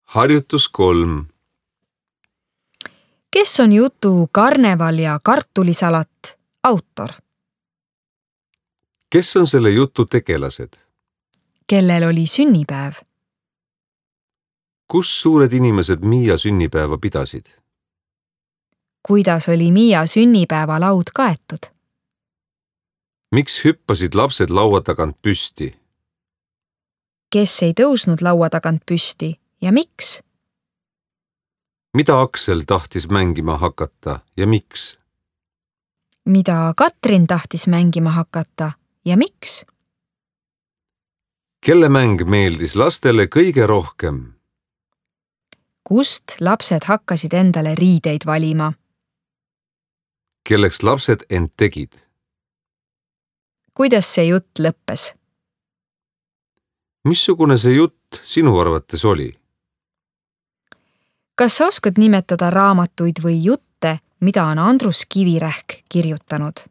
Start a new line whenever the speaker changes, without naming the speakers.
Harjutus 3.
Kes on jutu Karneval ja kartulisalat autor?
Kes on selle jutu tegelased?
Kellel oli sünnipäev?
Kus suured inimesed Miia sünnipäeva pidasid?
Kuidas oli Miia sünnipäevalaud kaetud?
Miks hüppasid lapsed laua tagant püsti?
Kes ei tõusnud laua tagant püsti ja miks?
Mida Aksel tahtis mängima hakata ja miks?
Mida Katrin tahtis mängima hakata ja miks?
Kelle mäng meeldis lastele kõige rohkem?
Kust lapsed hakkasid endale riideid valima?
Kelleks lapsed end tegid?
Kuidas see jutt lõppes?
Missugune see jutt sinu arvates oli?
Kas sa oskad nimetada raamatuid või jutte, mida on Andrus Kivirähk kirjutanud?